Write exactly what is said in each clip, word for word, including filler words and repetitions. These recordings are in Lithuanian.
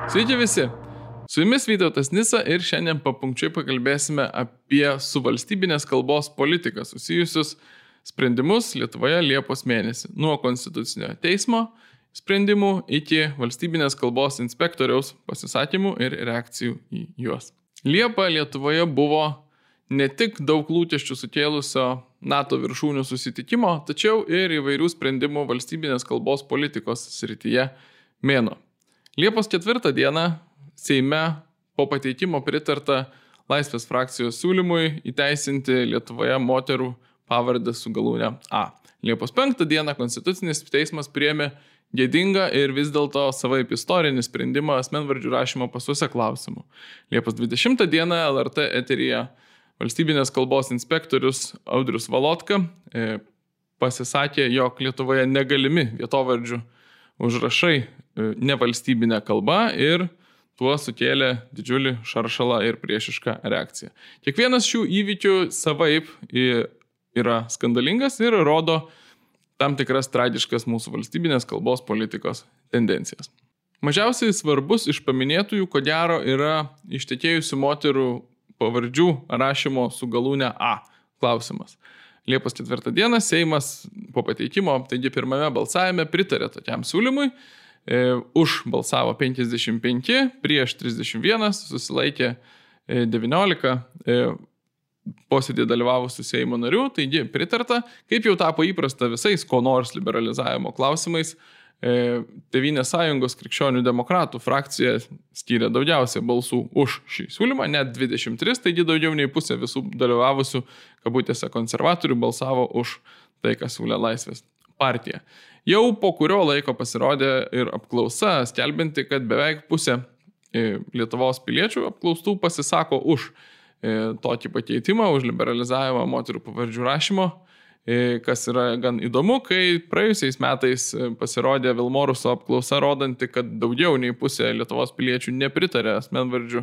Sveiki visi! Su jumis Vytautas Nisa ir šiandien papunkčiai pakalbėsime apie su valstybinės kalbos politika susijusius sprendimus Lietuvoje Liepos mėnesį, nuo Konstitucinio teismo sprendimų iki valstybinės kalbos inspektoriaus pasisakymų ir reakcijų į juos. Liepa Lietuvoje buvo ne tik daug lūkesčių sukėlusio NATO viršūnių susitikimo, tačiau ir įvairių sprendimų valstybinės kalbos politikos srityje mėnuo. Liepos ketvirtą dieną Seime po pateikimo pritarta Laisvės frakcijos siūlymui įteisinti Lietuvoje moterų pavardę su galūne A. Liepos penktą dieną Konstitucinis teismas priėmė gėdingą ir vis dėlto savaip istorinį sprendimą asmenvardžių rašymo pasuose klausimų. Liepos dvidešimtą dieną L R T eteryje valstybinės kalbos inspektorius Audrius Valotka e, pasisakė, jog Lietuvoje negalimi vietovardžių užrašai e, nevalstybinė kalba ir tuo sukėlė didžiulį šaršalą ir priešišką reakciją. Kiekvienas šių įvykių savaip yra skandalingas ir rodo tam tikras tragiškas mūsų valstybinės kalbos politikos tendencijas. Mažiausiai svarbus iš paminėtųjų, ko gero, yra ištekėjusių moterų pavardžių rašymo su galūne A klausimas. Liepos ketvirtą dieną Seimas po pateikimo, taigi pirmame balsavime pritarė tokiam siūlymui. E, už balsavo penkiasdešimt penki, prieš trisdešimt vienas, susilaikė e, devyniolika e, posėdį dalyvavusių Seimo narių, taigi pritarta, kaip jau tapo įprasta visais ko nors liberalizavimo klausimais, e, Tėvynės sąjungos krikščionių demokratų frakcija skyrė daugiausiai balsų už šį siūlymą, net dvidešimt tris, taigi daugiau nei pusė visų dalyvavusių kabutėse konservatorių balsavo už tai, ką siūlė Laisvės partija. Jau po kurio laiko pasirodė ir apklausa, skelbinti, kad beveik pusė Lietuvos piliečių apklaustų pasisako už tokį pakeitimą, už liberalizavimą moterų pavardžių rašymo, kas yra gan įdomu, kai praėjusiais metais pasirodė Vilmoruso apklausa rodanti, kad daugiau nei pusė Lietuvos piliečių nepritarė asmenvardžių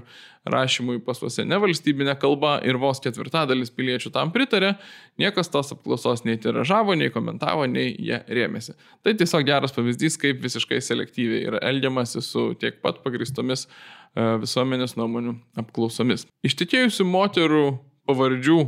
rašymui pasuose nevalstybinė kalba ir vos ketvirtadalis piliečių tam pritarė, niekas tos apklausos nei tiražavo, nei komentavo, nei jie rėmėsi. Tai tiesiog geras pavyzdys, kaip visiškai selektyviai yra elgiamasi su tiek pat pagristomis visuomenės nuomonių apklausomis. Ištekėjusių moterų pavardžių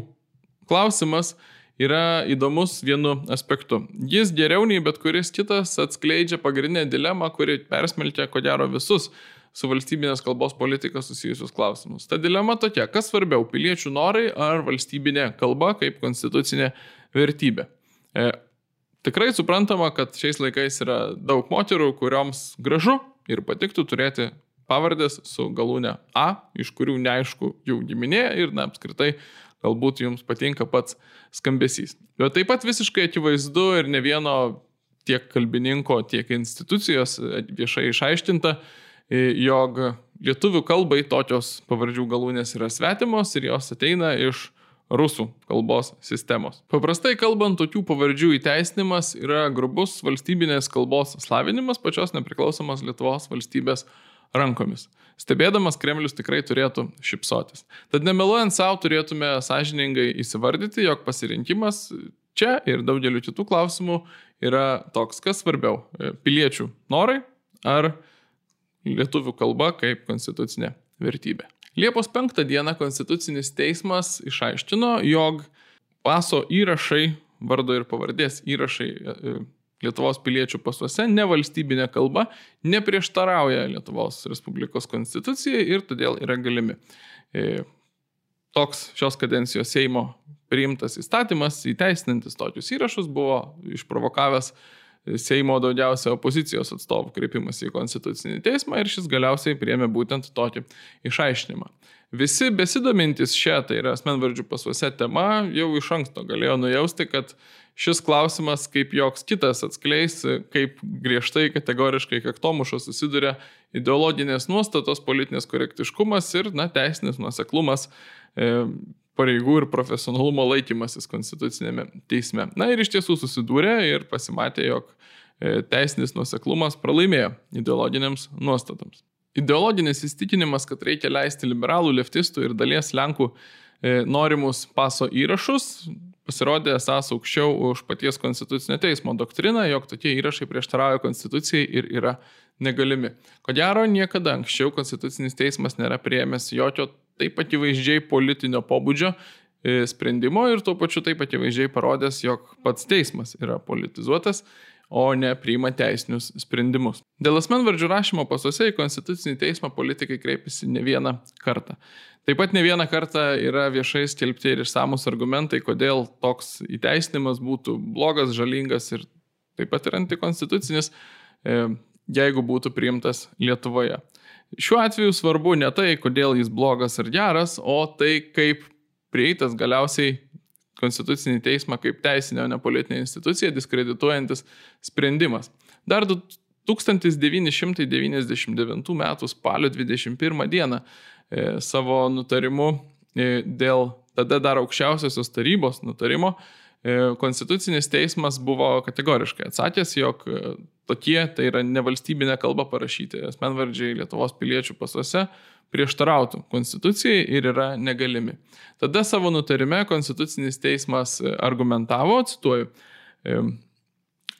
klausimas yra įdomus vienu aspektu. Jis geriau nei bet kuris kitas atskleidžia pagrindinę dilemą, kuri persmelkia ko gero visus su valstybinės kalbos politika susijusius klausimus. Ta dilema tokia, kas svarbiau, piliečių norai ar valstybinė kalba kaip konstitucinė vertybė. E, tikrai suprantama, kad šiais laikais yra daug moterų, kurioms gražu ir patiktų turėti pavardės su galūne A, iš kurių neaišku jų giminė ir na, apskritai galbūt jums patinka pats skambesys. Bet taip pat visiškai akivaizdu ir ne vieno tiek kalbininko, tiek institucijos viešai išaiškinta, jog lietuvių kalbai tokios pavardžių galūnės yra svetimos ir jos ateina iš rusų kalbos sistemos. Paprastai kalbant, tokių pavardžių įteisinimas yra grubus valstybinės kalbos slavinimas pačios nepriklausomos Lietuvos valstybės rankomis. Stebėdamas Kremlius tikrai turėtų šipsotis. Tad nemeluojant savo turėtume sąžiningai įsivardyti, jog pasirinkimas čia ir daugeliu kitų klausimų yra toks, kas svarbiau – piliečių norai ar lietuvių kalba kaip konstitucinė vertybė. Liepos penktą dieną Konstitucinis teismas išaiškino, jog paso įrašai, vardo ir pavardės įrašai Lietuvos piliečių pasuose nevalstybinė kalba neprieštarauja Lietuvos Respublikos konstitucijai ir todėl yra galimi. E, toks šios kadencijos Seimo priimtas įstatymas įteisinantis tokius įrašus buvo išprovokavęs Seimo daugiausia opozicijos atstovų kreipimas į Konstitucinį teismą ir šis galiausiai priėmė būtent tokį išaiškinimą. Visi besidomintys šią, tai yra asmenvardžių pasuose tema, jau iš anksto galėjo nujausti, kad šis klausimas kaip joks kitas atskleis, kaip griežtai kategoriškai kaktomušos susiduria ideologinės nuostatos, politinės korektiškumas ir na, teisinis nuoseklumas, e, pareigų ir profesionalumo laikymasis konstitucinėme teisme. Na ir iš tiesų susidūrė ir pasimatė, jog e, teisinis nuoseklumas pralaimėjo ideologiniams nuostatoms. Ideologinis įstikinimas, kad reikia leisti liberalų, leftistų ir dalies Lenkų e, norimus paso įrašus, pasirodė esąs aukščiau už paties konstitucinio teismo doktriną, jog tokie įrašai prieštarauja konstitucijai ir yra negalimi. Ko gero, niekada anksčiau konstitucinis teismas nėra priėmęs jokio taip akivaizdžiai politinio pobūdžio sprendimo ir tuo pačiu taip akivaizdžiai parodęs, jog pats teismas yra politizuotas, o ne priima teisinius sprendimus. Dėl asmenvardžių rašymo pasuose į konstitucinį teismą politikai kreipiasi ne vieną kartą. Taip pat ne vieną kartą yra viešai skelbti ir išsamus argumentai, kodėl toks įteisinimas būtų blogas, žalingas ir taip pat ir antikonstitucinis, jeigu būtų priimtas Lietuvoje. Šiuo atveju svarbu ne tai, kodėl jis blogas ar geras, o tai, kaip prieitas galiausiai konstitucinį teismą kaip teisinę, o ne politinę instituciją diskredituojantis sprendimas. Dar tūkstantis devyni šimtai devyniasdešimt devintų metų spalio dvidešimt pirmą dieną e, savo nutarimu e, dėl tada dar aukščiausiosios tarybos nutarimo e, konstitucinis teismas buvo kategoriškai atsakęs, jog e, tokie, tai yra nevalstybinė kalba parašyti asmenvardžiai Lietuvos piliečių pasuose, prieštarautų konstitucijai ir yra negalimi. Tada savo nutarime konstitucinis teismas argumentavo, cituoju,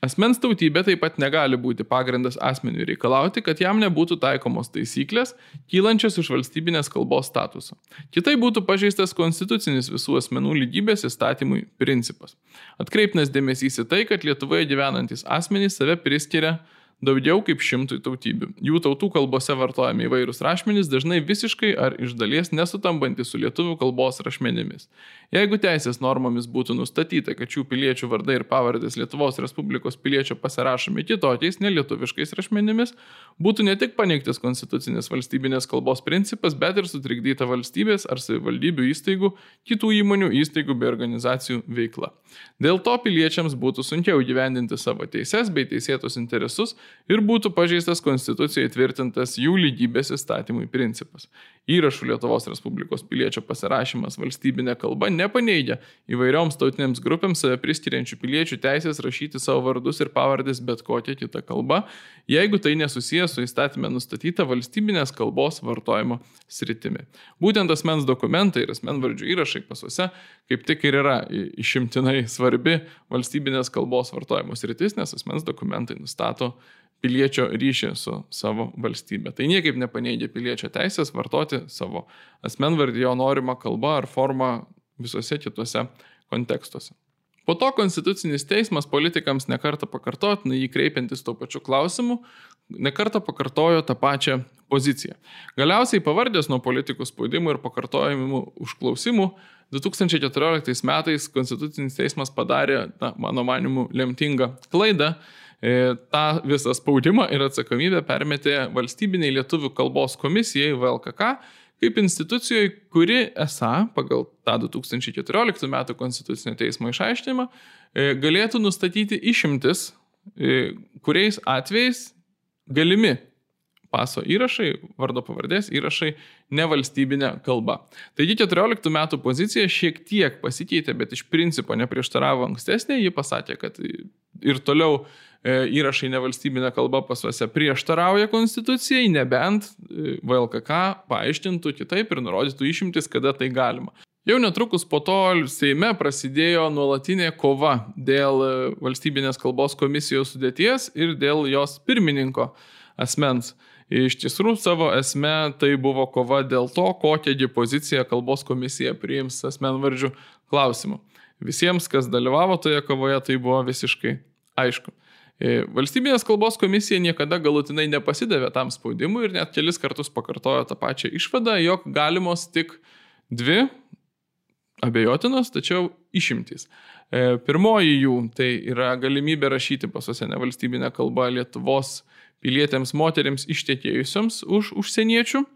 asmens tautybė taip pat negali būti pagrindas asmeniui reikalauti, kad jam nebūtų taikomos taisyklės, kylančios iš valstybinės kalbos statuso. Kitai būtų pažeistas konstitucinis visų asmenų lygybės įstatymui principas. Atkreiptinas dėmesys į tai, kad Lietuvoje gyvenantys asmenys save priskiria daugiau kaip šimtui tautybių. Jų tautų kalbose vartojami įvairūs rašmenys, dažnai visiškai ar iš dalies nesutambantis su lietuvių kalbos rašmenimis. Jeigu teisės normomis būtų nustatyta, kad šių piliečių vardai ir pavardės Lietuvos Respublikos piliečio pasirašomi kitokiais, nelietuviškais rašmenimis, būtų ne tik paneigtas konstitucinės valstybinės kalbos principas, bet ir sutrikdyta valstybės ar savivaldybių įstaigų, kitų įmonių, įstaigų bei organizacijų veikla. Dėl to piliečiams būtų sunkiau įgyvendinti savo teises bei teisėtus interesus ir būtų pažeistas konstitucijai tvirtintas jų lygybės įstatymui principas. Įrašų Lietuvos Respublikos piliečio pasirašymas valstybinė kalba nepaneigia įvairioms tautinėms grupėms save priskiriančių piliečių teisės rašyti savo vardus ir pavardės bet kokią kitą kalbą, jeigu tai nesusijęs su įstatyme nustatyta valstybinės kalbos vartojimo sritimi. Būtent asmens dokumentai ir asmenvardžių įrašai pasuose kaip tik ir yra išimtinai svarbi valstybinės kalbos vartojimo sritis, nes asmens dokumentai nustato piliečio ryšį su savo valstybė. Tai niekaip nepaneigia piliečio teisės vartoti savo asmenvardį, jo norimą kalbą ar formą visose kitose kontekstuose. Po to konstitucinis teismas politikams nekartą pakartotinai jį kreipiantis tuo pačiu klausimu, nekartą pakartojo tą pačią poziciją. Galiausiai pavardės nuo politikų spaudimų ir pakartojimų užklausimų du tūkstančiai keturioliktais metais konstitucinis teismas padarė, na, mano manimu, lemtingą klaidą. E, tą visą spaudimą ir atsakomybę permetė valstybiniai lietuvių kalbos komisijai V L K K kaip institucijoje, kuri esą, pagal tą du tūkstančiai keturioliktų metų konstitucinio teismo išaiškinimą, e, galėtų nustatyti išimtis, e, kuriais atvejais galimi paso įrašai, vardo pavardės įrašai nevalstybinė kalba. Taigi keturioliktų metų pozicija šiek tiek pasikeitė, bet iš principo neprieštaravo ankstesnė, ji pasakė, kad ir toliau įrašai nevalstybinė kalba pasuose prieštarauja konstitucijai, nebent V L K K paaiškintų kitaip ir nurodytų išimtis, kada tai galima. Jau netrukus po to Seime prasidėjo nuolatinė kova dėl valstybinės kalbos komisijos sudėties ir dėl jos pirmininko asmens. Iš tiesų savo esme tai buvo kova dėl to, kokią poziciją kalbos komisija priims asmenvardžių klausimu. Visiems, kas dalyvavo toje kovoje, tai buvo visiškai aišku. Valstybinės kalbos komisija niekada galutinai nepasidavė tam spaudimui ir net kelis kartus pakartojo tą pačią išvadą, jog galimos tik dvi abejotinos, tačiau išimtys. Pirmoji jų tai yra galimybė rašyti pasuose nevalstybinę kalbą Lietuvos pilietėms moterims ištekėjusioms už užsieniečių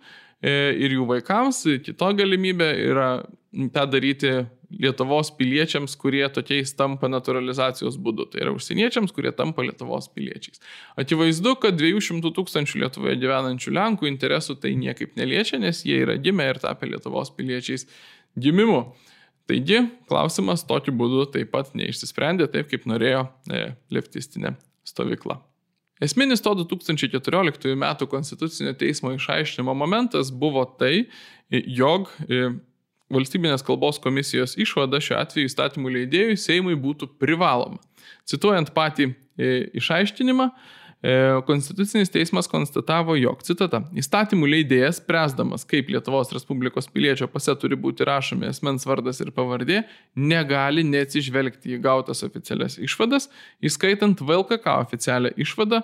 ir jų vaikams. Kita galimybė yra tą daryti Lietuvos piliečiams, kurie tokiais tampa naturalizacijos būdu. Tai yra užsieniečiams, kurie tampa Lietuvos piliečiais. Akivaizdu, kad dviejų šimtų tūkstančių Lietuvoje gyvenančių Lenkų interesų tai niekaip neliečia, nes jie yra gimę ir tapę Lietuvos piliečiais gimimu. Taigi, klausimas tokiu būdu taip pat neišsisprendė taip, kaip norėjo e, leftistinė stovykla. Esminis to du tūkstančiai keturioliktųjų metų konstitucinio teismo išaiškinimo momentas buvo tai, jog e, valstybinės kalbos komisijos išvada šiuo atveju įstatymų leidėjui Seimui būtų privaloma. Cituojant patį išaiškinimą, Konstitucinis teismas konstatavo, jog, citata, įstatymų leidėjas, spręsdamas, kaip Lietuvos Respublikos piliečio pase turi būti rašomi asmens vardas ir pavardė, negali neatsižvelgti į gautas oficialias išvadas, įskaitant V L K K oficialią išvadą,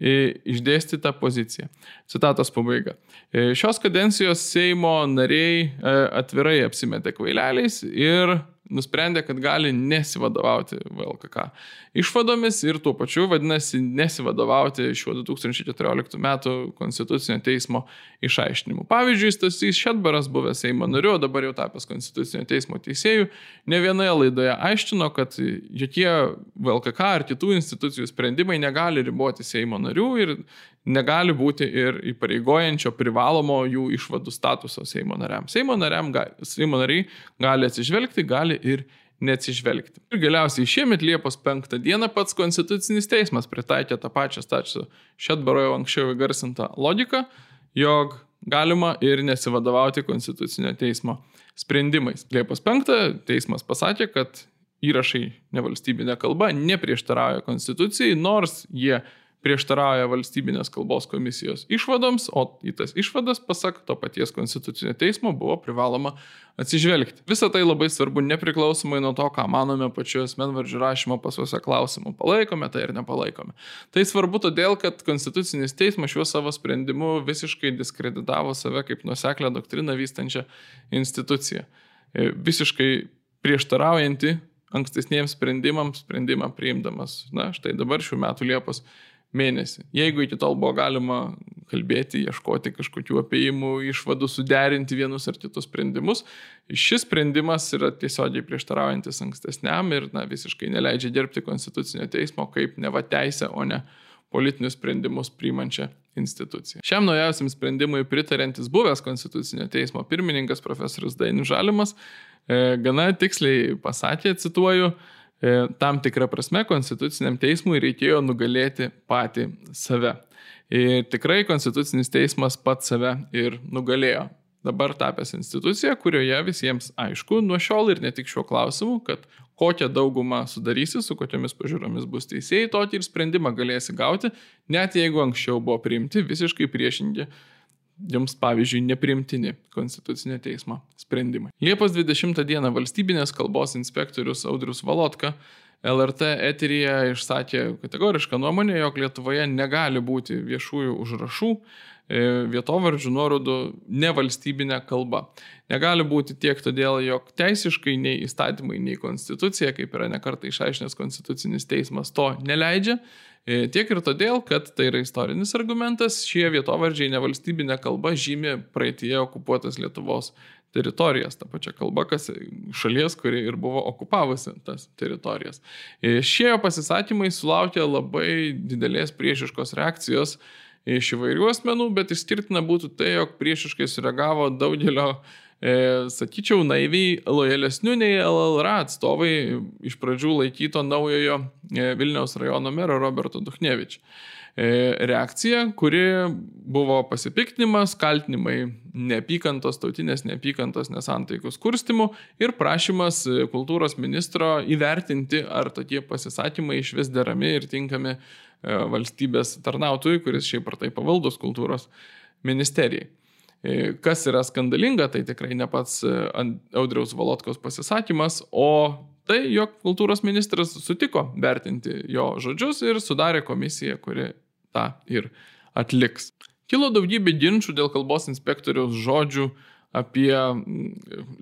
išdėstytą poziciją. Citatos pabaiga. Šios kadencijos Seimo nariai atvirai apsimetė kvaileliais ir nusprendė, kad gali nesivadovauti V L K K išvadomis ir tuo pačiu, vadinasi, nesivadovauti šiuo du tūkstančiai keturioliktų metų Konstitucinio teismo išaiškinimu. Pavyzdžiui, Stasys Šedbaras, buvęs Seimo nariu, o dabar jau tapęs Konstitucinio teismo teisėjų, ne vienoje laidoje aiškino, kad jokie V L K K ar kitų institucijų sprendimai negali riboti Seimo narių ir negali būti ir įpareigojančio privalomo jų išvadų statuso Seimo nariam. Seimo, nariam gali, Seimo nariai gali atsižvelgti, gali ir neatsižvelgti. Ir galiausiai šiemet Liepos penktą dieną pats Konstitucinis teismas pritaikė tą pačią Stasio Šedbaro jau anksčiau įgarsintą logiką, jog galima ir nesivadovauti Konstitucinio teismo sprendimais. Liepos penktą teismas pasakė, kad įrašai nevalstybinė kalba neprieštarauja Konstitucijai, nors jie prieštarauja valstybinės kalbos komisijos išvadoms, o į tas išvadas, pasak to paties Konstitucinio teismo, buvo privaloma atsižvelgti. Visą tai labai svarbu nepriklausomai nuo to, ką manome pačiu asmenvardžių rašymo pasuose klausimų. Palaikome tai ir nepalaikome. Tai svarbu todėl, kad Konstitucinis teismas šiuo savo sprendimu visiškai diskreditavo save kaip nuoseklę doktriną vystančią instituciją. Visiškai prieštaraujanti ankstesniems sprendimams, sprendimą priimdamas, na, štai dabar šių metų Liepos mėnesį. Jeigu iki tol buvo galima kalbėti, ieškoti kažkokių apėjimų, išvadų, suderinti vienus ar kitus sprendimus, šis sprendimas yra tiesiogiai prieštaraujantis ankstesniam ir na, visiškai neleidžia dirbti Konstitucinio teismo kaip neva teisę, o ne politinius sprendimus priimančią instituciją. Šiam naujausiam sprendimui pritarantis buvęs Konstitucinio teismo pirmininkas profesorius Dainius Žalimas e, gana tiksliai pasakė, cituoju, tam tikrą prasme Konstituciniam teismui reikėjo nugalėti patį save. Ir tikrai Konstitucinis teismas pats save ir nugalėjo. Dabar tapęs institucija, kurioje visiems aišku nuo šiol ir ne tik šiuo klausimu, kad kokią daugumą sudarysi, su kokiamis pažiūromis bus teisėjai, tokį ir sprendimą galėsi gauti, net jeigu anksčiau buvo priimti visiškai priešingi jums, pavyzdžiui, nepriimtini Konstitucinio teismo sprendimai. Liepos dvidešimtą dieną valstybinės kalbos inspektorius Audrius Valotka L R T eteryje išsakė kategorišką nuomonę, jog Lietuvoje negali būti viešųjų užrašų, vietovardžių nuorodų nevalstybinė kalba. Negali būti tiek todėl, jog teisiškai nei įstatymai, nei konstitucija, kaip yra nekartą išaiškinęs Konstitucinis teismas, to neleidžia. Tiek ir todėl, kad tai yra istorinis argumentas, šie vietovardžiai nevalstybinė kalba žymi praeityje okupuotas Lietuvos teritorijas, ta pačia kalba, kas šalies, kuri ir buvo okupavusi tas teritorijas. Šie pasisakymai sulaukė labai didelės priešiškos reakcijos iš įvairių asmenų, bet išskirtina būtų tai, jog priešiškai sureagavo daugelio, e, sakyčiau, naiviai lojalesnių nei L L R atstovai iš pradžių laikyto naujojo Vilniaus rajono mero Roberto Duchnevič. E, reakcija, kuri buvo pasipiktinimas, kaltinimai neapykantos, tautinės neapykantos, nesantaikos kurstimu ir prašymas kultūros ministro įvertinti, ar tokie pasisakymai iš vis derami ir tinkami valstybės tarnautojui, kuris šiaip ar tai pavaldus kultūros ministerijai. Kas yra skandalinga, tai tikrai ne pats Audriaus Valotkos pasisakymas, o tai, jog kultūros ministras sutiko vertinti jo žodžius ir sudarė komisiją, kuri tą ir atliks. Kilo daugybė ginčų dėl kalbos inspektoriaus žodžių apie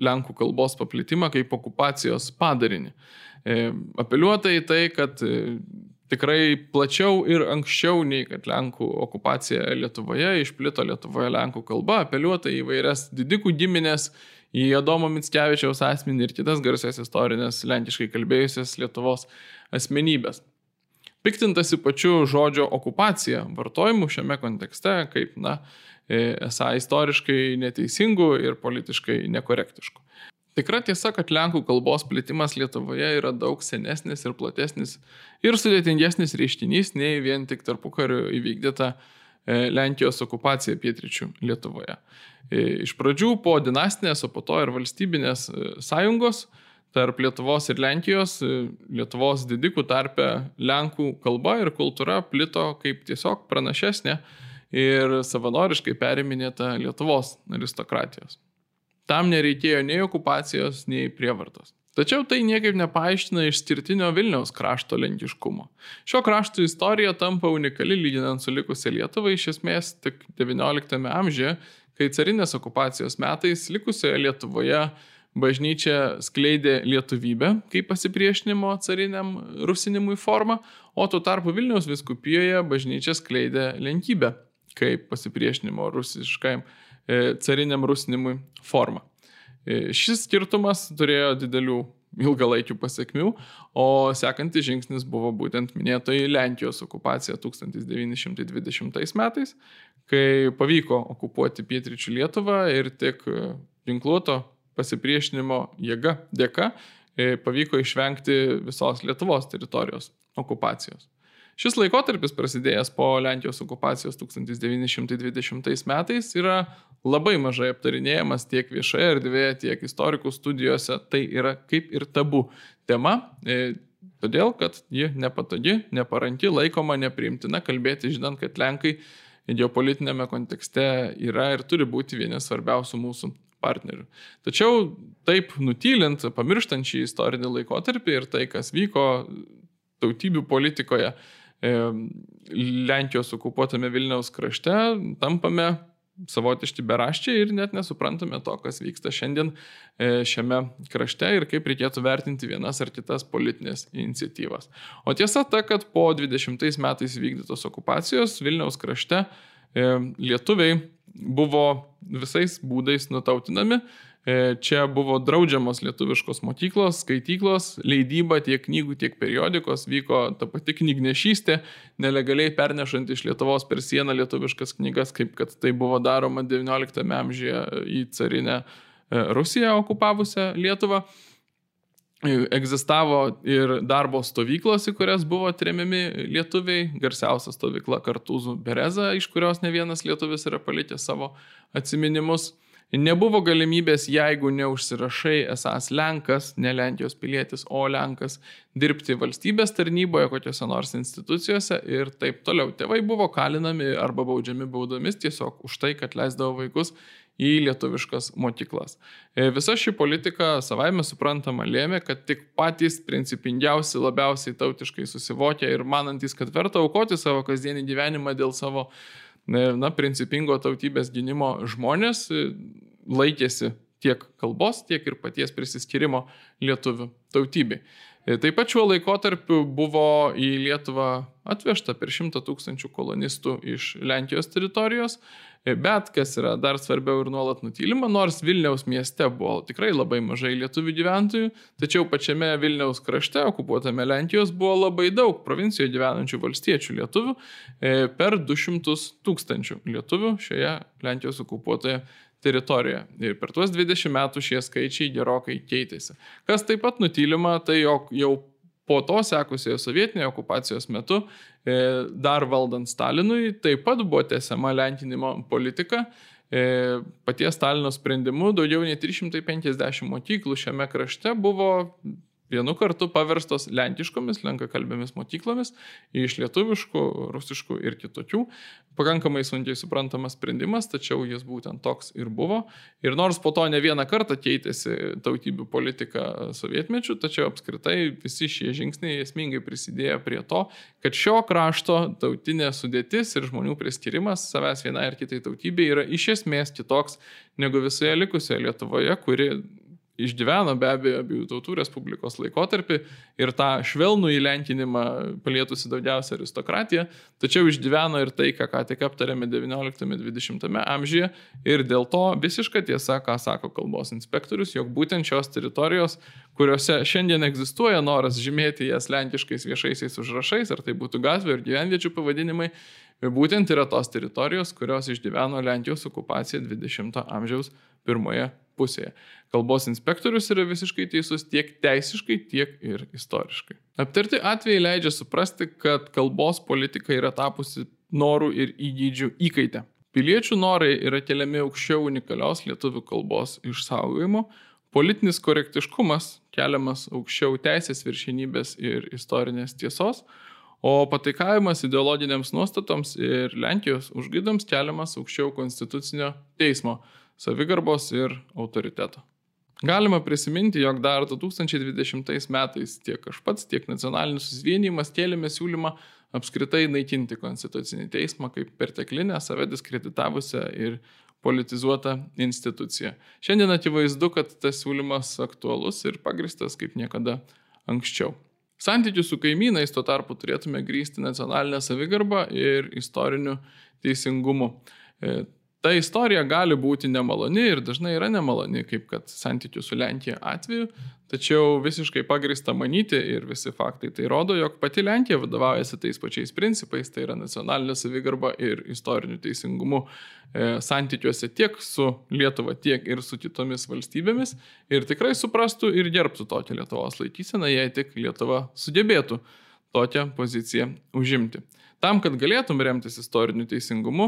lenkų kalbos paplitimą kaip okupacijos padarinį. Apeliuota į tai, kad tikrai plačiau ir anksčiau nei kad Lenkų okupacija Lietuvoje išplito Lietuvoje Lenkų kalba, apeliuota į vairias didikų giminės, į Adomo Mickevičiaus asmenį ir kitas garsias istorinės lenkiškai kalbėjusias Lietuvos asmenybės. Piktintasi pačiu žodžio okupacija vartojimu šiame kontekste kaip, na, esą istoriškai neteisingų ir politiškai nekorektiškų. Tikra tiesa, kad lenkų kalbos plitimas Lietuvoje yra daug senesnis ir platesnis ir sudėtingesnis reiškinys nei vien tik tarpukariu įvykdyta Lenkijos okupaciją pietryčių Lietuvoje. Iš pradžių po dinastinės, o po to ir valstybinės sąjungos tarp Lietuvos ir Lenkijos, Lietuvos didikų tarpe Lenkų kalba ir kultūra plito kaip tiesiog pranašesnė ir savanoriškai periminėta Lietuvos aristokratijos. Tam nereikėjo nei okupacijos, nei prievartos. Tačiau tai niekaip nepaaiškina išskirtinio Vilniaus krašto lenkiškumo. Šio krašto istorija tampa unikali lyginant su likusia Lietuva iš esmės tik devynioliktame amžiuje, kai carinės okupacijos metais likusioje Lietuvoje bažnyčia skleidė lietuvybę kaip pasipriešinimo cariniam rusinimui formą, o tuo tarpu Vilniaus vyskupijoje bažnyčia skleidė lenkybę kaip pasipriešinimo rusiškajam e, cariniam rusinimui formą. Šis skirtumas turėjo didelių ilgalaikių pasiekmių, o sekantis žingsnis buvo būtent minėtoji Lenkijos okupacija tūkstantis devyni šimtai dvidešimtais metais, kai pavyko okupuoti pietryčių Lietuvą ir tik ginkluoto pasipriešinimo jėga dėka pavyko išvengti visos Lietuvos teritorijos okupacijos. Šis laikotarpis prasidėjęs po Lenkijos okupacijos tūkstantis devyni šimtai dvidešimtais metais yra labai mažai aptarinėjamas tiek viešoje erdvėje, tiek istorikų studijose. Tai yra kaip ir tabu tema, todėl kad ji nepatogi, neparanki, laikoma nepriimtina kalbėti, žinant, kad Lenkai geopolitinėme kontekste yra ir turi būti vieni svarbiausių mūsų partnerių. Tačiau taip nutylint, pamirštant šį istorinį laikotarpį ir tai, kas vyko tautybių politikoje Lenkijos okupuotame Vilniaus krašte, tampame savotiški beraščiai ir net nesuprantame to, kas vyksta šiandien šiame krašte ir kaip reikėtų vertinti vienas ar kitas politinės iniciatyvas. O tiesa ta, kad po dvidešimtais metais vykdytos okupacijos Vilniaus krašte lietuviai buvo visais būdais nutautinami. Čia buvo draudžiamos lietuviškos mokyklos, skaityklos, leidyba tiek knygų, tiek periodikos, vyko ta pati knygnešystė, nelegaliai pernešant iš Lietuvos per sieną lietuviškas knygas, kaip kad tai buvo daroma devynioliktame amžiuje į carinę Rusiją okupavusią Lietuvą. Egzistavo ir darbo stovyklos, į kurias buvo tremiami lietuviai, garsiausia stovykla Kartūzų Bereza, iš kurios ne vienas lietuvis yra palikęs savo atsiminimus. Nebuvo galimybės, jeigu neužsirašai esas Lenkas, ne Lenkijos pilietis, o Lenkas, dirbti valstybės tarnyboje, kokiose nors institucijose ir taip toliau. Tėvai buvo kalinami arba baudžiami baudomis tiesiog už tai, kad leisdavo vaikus į lietuviškas mokyklas. Visa ši politika savaime suprantama lėmė, kad tik patys principingiausi, labiausiai tautiškai susivokę ir manantys, kad verta aukoti savo kasdienį gyvenimą dėl savo na, principingo tautybės gynimo žmonės laikėsi tiek kalbos, tiek ir paties prisiskyrimo lietuvių tautybei. Taip pat šiuo laikotarpiu buvo į Lietuvą atvežta per šimtą tūkstančių kolonistų iš Lenkijos teritorijos, bet kas yra dar svarbiau ir nuolat nutylima, nors Vilniaus mieste buvo tikrai labai mažai lietuvių gyventojų, tačiau pačiame Vilniaus krašte, okupuotame Lenkijos, buvo labai daug provincijoje gyvenančių valstiečių lietuvių, per du šimtus tūkstančių lietuvių šioje Lenkijos okupuotoje teritorijoje. Ir per tuos dvidešimt metų šie skaičiai gerokai keitėsi. Kas taip pat nutylima, tai jog jau po to sekusioje sovietinėje okupacijos metu, dar valdant Stalinui, taip pat buvo tęsiama lenkinimo politika. Paties Stalino sprendimu daugiau nei trys šimtai penkiasdešimt mokyklų šiame krašte buvo vienu kartu paverstos lenkiškomis, lenkakalbėmis mokyklomis iš lietuviškų, rusiškų ir kitokių. Pakankamai sunkiai suprantamas sprendimas, tačiau jis būtent toks ir buvo. Ir nors po to ne vieną kartą keitėsi tautybių politika sovietmečių, tačiau apskritai visi šie žingsniai esmingai prisidėjo prie to, kad šio krašto tautinė sudėtis ir žmonių priskirimas savęs vienai ar kitai tautybei yra iš esmės kitoks negu visoje likusioje Lietuvoje, kuri išgyveno be abejo abiejų tautų respublikos laikotarpį ir tą švelnų įlenkinimą palietusi daugiausia aristokratiją, tačiau išgyveno ir tai, ką ką tik aptarėme devynioliktame dvidešimtame amžiuje ir dėl to visiška tiesa, ką sako kalbos inspektorius, jog būtent šios teritorijos, kuriuose šiandien egzistuoja noras žymėti jas lenkiškais viešaisiais užrašais, ar tai būtų gatvių ir gyvenviečių pavadinimai, būtent yra tos teritorijos, kurios išgyveno Lenkijos okupaciją dvidešimto amžiaus pirmoje pusėje. Kalbos inspektorius yra visiškai teisus tiek teisiškai, tiek ir istoriškai. Aptarti atvejai leidžia suprasti, kad kalbos politika yra tapusi norų ir įgūdžių įkaitę. Piliečių norai yra keliami aukščiau unikalios lietuvių kalbos išsaugojimo, politinis korektiškumas keliamas aukščiau teisės viršenybės ir istorinės tiesos, o pataikavimas ideologinėms nuostatoms ir Lenkijos užgaidams keliamas aukščiau konstitucinio teismo, savigarbos ir autoriteto. Galima prisiminti, jog dar du tūkstančiai dvidešimtais metais tiek aš pats, tiek nacionalinis susivienijimas kėlėme siūlymą apskritai naikinti konstitucinį teismą kaip perteklinę, save diskreditavusią ir politizuotą instituciją. Šiandien akivaizdu, kad tas siūlymas aktualus ir pagristas kaip niekada anksčiau. Santykius su kaimynais tuo tarpu turėtume grįsti nacionalinę savigarbą ir istoriniu teisingumu. Ta istorija gali būti nemaloni ir dažnai yra nemaloni, kaip kad santykių su Lenkija atveju, tačiau visiškai pagrįsta manyti ir visi faktai tai rodo, jog pati Lenkija vadovaujasi tais pačiais principais, tai yra nacionalinė savigarba ir istoriniu teisingumu e, santykiuose tiek su Lietuva, tiek ir su kitomis valstybėmis ir tikrai suprastų ir gerbtų tokią Lietuvos laikyseną, jei tik Lietuva sugebėtų tokią poziciją užimti. Tam, kad galėtum remtis istoriniu teisingumu,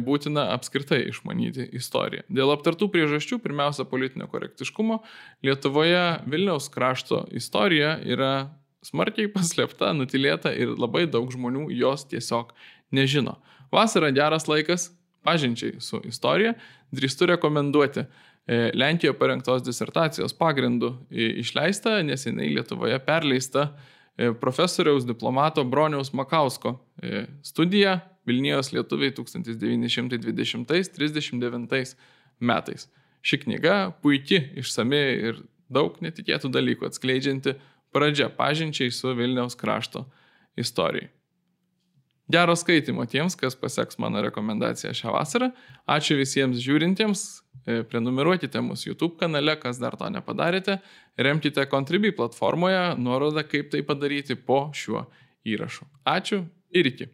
būtina apskritai išmanyti istoriją. Dėl aptartų priežasčių, pirmiausia politinio korektiškumo, Lietuvoje Vilniaus krašto istorija yra smarkiai paslėpta, nutilėta ir labai daug žmonių jos tiesiog nežino. Vasara geras laikas pažinčiai su istorija, drįstu rekomenduoti Lenkijoje parengtos disertacijos pagrindų išleista, neseniai Lietuvoje perleista profesoriaus diplomato Broniaus Makausko studija Vilnijos lietuviai tūkstantis devyni šimtai dvidešimtais trisdešimt devintais metais. Ši knyga puiki, išsami ir daug netikėtų dalykų atskleidžianti pradžia pažinčiai su Vilniaus krašto istorijai. Gero skaitimo tiems, kas paseks mano rekomendaciją šią vasarą. Ačiū visiems žiūrintiems. Prenumeruokite mūsų YouTube kanale, kas dar to nepadarėte. Remkite Contribui platformoje, nuoroda kaip tai padaryti po šiuo įrašu. Ačiū ir iki.